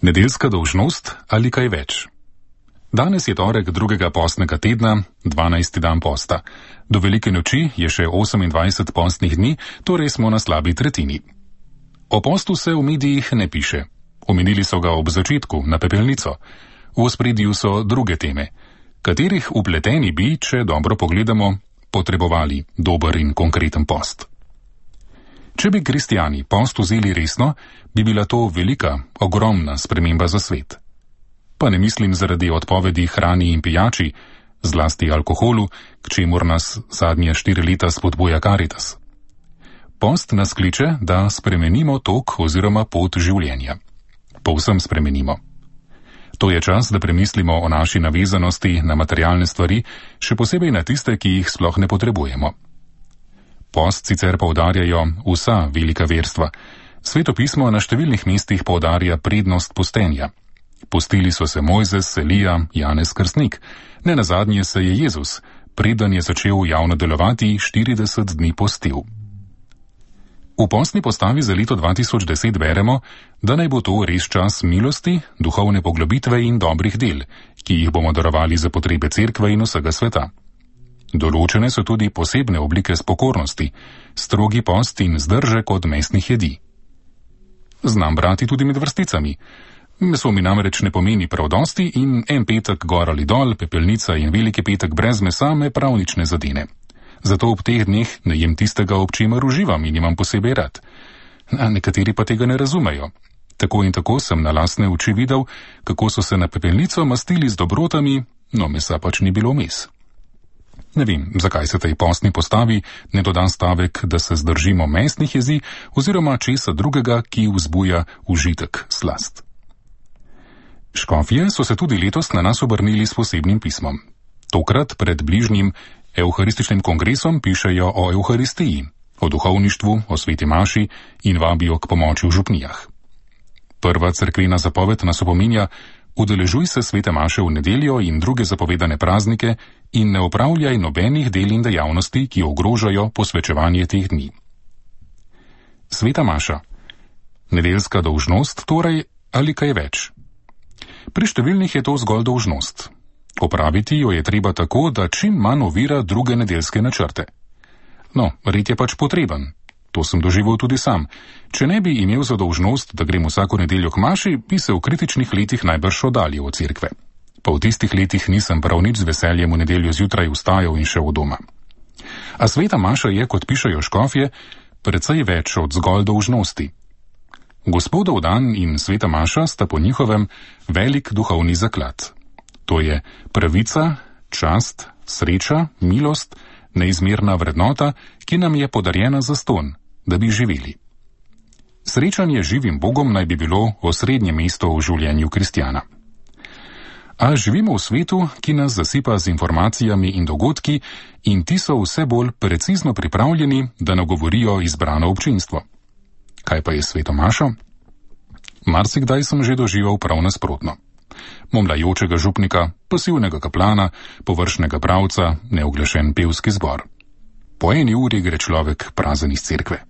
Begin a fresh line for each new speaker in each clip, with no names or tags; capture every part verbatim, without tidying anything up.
Nedeljska dolžnost ali kaj več? Danes je torek drugega postnega tedna, dvanajsti dan posta. Do velike noči je še osemindvajset postnih dni, torej smo na slabi tretjini. O postu se v medijih ne piše. Omenili so ga ob začetku, na pepelnico. V ospredju so druge teme, katerih upleteni bi, če dobro pogledamo, potrebovali dober in konkreten post. Če bi kristjani post vzeli resno, bi bila to velika, ogromna sprememba za svet. Pa ne mislim zaradi odpovedi hrani in pijači, zlasti alkoholu, k čemur nas zadnje štiri leta spodbuja Karitas. Post nas kliče, da spremenimo tok oziroma pot življenja. Povsem spremenimo. To je čas, da premislimo o naši navezanosti na materialne stvari, še posebej na tiste, ki jih sploh ne potrebujemo. Post sicer poudarjajo vsa velika verstva. Sveto pismo na številnih mestih poudarja prednost postenja. Postili so se Mojzes, Elija, Janez Krstnik. Ne nazadnje se je Jezus, preden je začel javno delovati, štirideset dni postil. V postni postavi za leto dva tisoč deset beremo, da naj bo to res čas milosti, duhovne poglobitve in dobrih del, ki jih bomo darovali za potrebe cerkve in vsega sveta. Določene so tudi posebne oblike spokornosti, strogi post in zdržek od mesnih jedi. Znam brati tudi med vrsticami. Meso mi namreč ne pomeni prav dosti in en petek gor ali dol, pepelnica in veliki petek brez mesa me prav nič ne zadene. Zato ob teh dneh ne jem tistega, ob čemer uživam in imam posebej rad. A nekateri pa tega ne razumejo. Tako in tako sem na lastne oči videl, kako so se na pepelnico mastili z dobrotami, no mesa pač ni bilo vmes. Ne vem, zakaj se tej postni postavi ne doda stavek, da se zdržimo mesnih jezi oziroma česa drugega, ki vzbuja užitek, slast. Škofje so se tudi letos na nas obrnili s posebnim pismom. Tokrat pred bližnjim Evharističnim kongresom pišejo o Evharistiji, o duhovništvu, o sveti maši in vabijo k pomoči v župnijah. Prva cerkvena zapoved nas opominja: udeležuj se svete maše v nedeljo in druge zapovedane praznike in ne opravljaj nobenih del in dejavnosti, ki ogrožajo posvečevanje teh dni. Sveta maša. Nedeljska dolžnost torej ali kaj več? Pri številnih je to zgolj dolžnost. Opraviti jo je treba tako, da čim manj ovira druge nedeljske načrte. No, red je pač potreben. To sem doživel tudi sam. Če ne bi imel za dolžnost, da grem vsako nedeljo k maši, bi se v kritičnih letih najbrž oddaljil od cerkve. Pa v tistih letih nisem prav nič z veseljem v nedeljo zjutraj vstajal in šel od doma. A sveta maša je, kot pišejo škofje, precej več od zgolj dolžnosti. Gospodov dan in sveta maša sta po njihovem velik duhovni zaklad. To je pravica, čast, sreča, milost, neizmerna vrednota, ki nam je podarjena zastonj, da bi živeli. Srečanje z živim Bogom naj bi bilo osrednje mesto v življenju kristjana. A živimo v svetu, ki nas zasipa z informacijami in dogodki, in ti so vse bolj precizno pripravljeni, da nagovorijo izbrano občinstvo. Kaj pa je sveto mašo? Marsikdaj sem že doživel prav nasprotno. Momlajočega župnika, pasivnega kaplana, površnega pravca, neoglašen pevski zbor. Po eni uri gre človek prazen iz cerkve.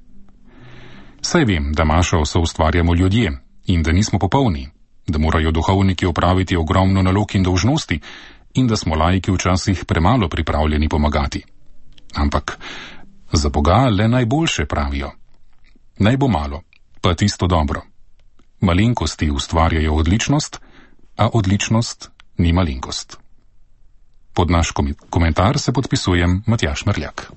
Saj vem, da mašo soustvarjamo ljudje in da nismo popolni, da morajo duhovniki opraviti ogromno nalog in dolžnosti in da smo laiki včasih premalo pripravljeni pomagati. Ampak za Boga le najboljše pravijo. Naj bo malo, pa tisto dobro. Malenkosti ustvarjajo odličnost, a odličnost ni malenkost. Pod naš komentar se podpisujem Matjaž Mrljak.